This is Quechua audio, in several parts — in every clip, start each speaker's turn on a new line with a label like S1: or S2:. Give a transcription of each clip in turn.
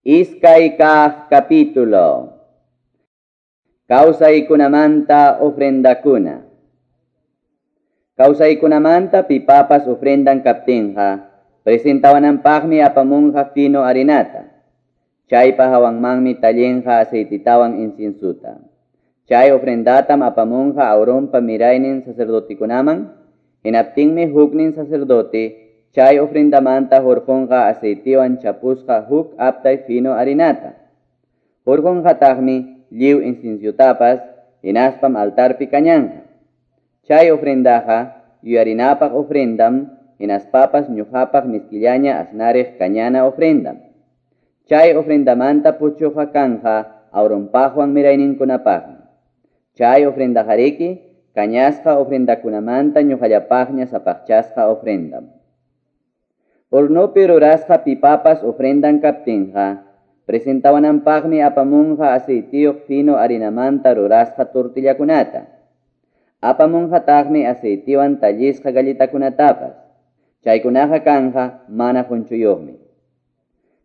S1: Iskay kaq capítulo. Kawsaykunamanta ofrendakuna. Kawsaykunamanta pipapas ofrendan kaptinqa, presentawananpaqmi apamunqa fino harinata. Chaypa hawanmanmi tallinqa aceititawan inciensuta. Chay ofrendatam apamunqa Aaronpa miraynin sacerdotikunaman, hinaptinmi huknin sacerdote chay ofrendamanta hurqunqa aceitiwan chapusqa huk aptay fino harinata. Hurqunqataqmi lliw inciensutapas, hinaspam altarpi kañanqa. Chay ofrendaqa yuyarinapaq ofrendam, hinaspapas ñuqapaq miskillaña asnariq kañana ofrendam. Chay ofrendamanta puchuqa kanqa Aaronpaqwan mirayninkunapaqmi. Chay ofrendaqariki kañasqa ofrendakunamanta ñuqallapaqña sapaqchasqa ofrendam. Hornopi rurasqa pipapas ofrendan kaptinqa, presentawananpaqmi apamunqa aceitiyuq fino harinamanta rurasqa tortillakunata. Apamunqataqmi aceitiwan tallisqa galletakunatapas. Chaykunaqa kanqa mana qunchuyuqmi.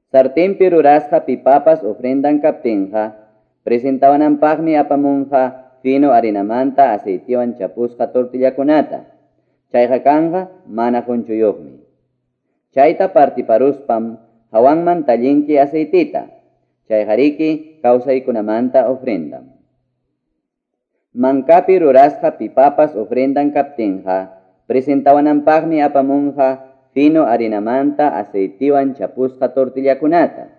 S1: Sartenpi rurasqa pipapas ofrendan kaptinqa, presentawananpaqmi apamunqa fino harinamanta aceitiwan chapusqa tortillakunata. Chayqa kanqa mana qunchuyuqmi. Chayta partiparuspam hawanman tallinki aceitita. Chayqariki kawsaykunamanta ofrendam. Mankapi rurasqa pipapas ofrendan kaptinqa, presentawananpaqmi apamunqa fino harinamanta aceitiwan chapusqa tortillakunata.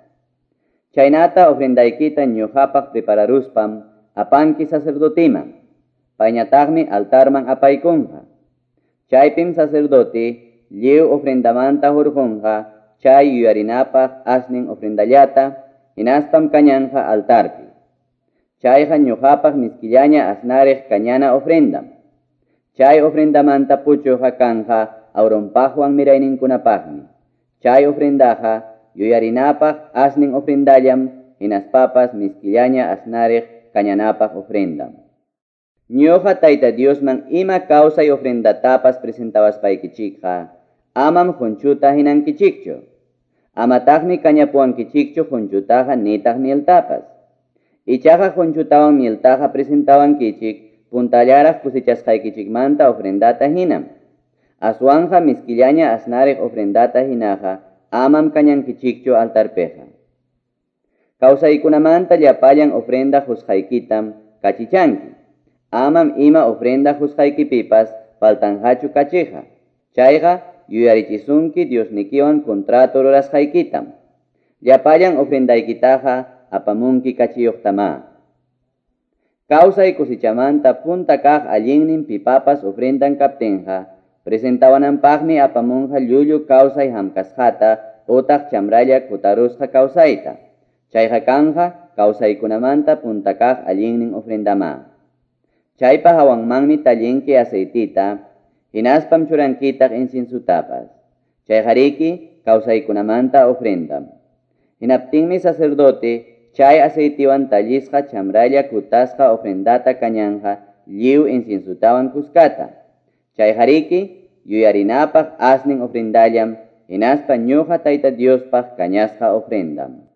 S1: Chaynata ofrendaykita ñuqapaq prepararuspam apanki sacerdotiman. Payñataqmi altarman apaykunqa. Chaypim sacerdote lliw ofrendamanta hurqunqa chay yuyarinapaq asnin ofrendallata, hinaspam kañanqa altarpi. Chayqa ñuqapaq miskillaña asnariq kañana ofrendam. Chay ofrendamanta puchuqa kanqa Aaronpaqwan mirayninkunapaqmi. Chay ofrendaqa yuyarinapaq asnin ofrendallam, hinaspapas miskillaña asnariq kañanapaq ofrendam. Ñuqa Tayta Diosman ima kawsay ofrendatapas presentawaspaykichikqa, amam qunchuta hinankichikchu. Amataqmi kañapuwankichikchu qunchutaqa nitaq mieltapas. Ichaqa qunchutawan mieltaqa presentawankichik puntallaraq cosechasqaykichikmanta ofrendata hinam. Aswanja miskillaña asnariq ofrendata hinaqa amam kañankichikchu altarpiqa. Kawsaykunamanta llapallan ofrenda qusqaykitam kachichanki. Amam ima ofrenda qusqaykipipas faltanqachu kachiqa. Chayqa yuyarichisunki Diosnikiwan contrato rurasqaykitam. Llapallan ofrendaykitaqa apamunki kachiyuqtama. Kawsay cosechamanta punta kaq allinnin pipapas ofrendan kaptinqa, presentawananpaqmi apamunqa llullu kawsay hamkasqata utaq chamralla kutarusqa kawsayta. Chayqa kanqa kawsaykunamanta punta kaq allinnin ofrendama. Chaypa hawanmanmi tallinki aceitita, hinaspam churankitaq inciensutapas. Chayqariki kawsaykunamanta ofrendam. Hinaptinmi sacerdote chay aceitiwan tallisqa chamralla kutasqa ofrendata kañanqa lliw inciensutawan kuskata. Chayqariki yuyarinapaq asnin ofrendallam, hinaspa ñuqa Tayta Diospaq kañasqa ofrendam.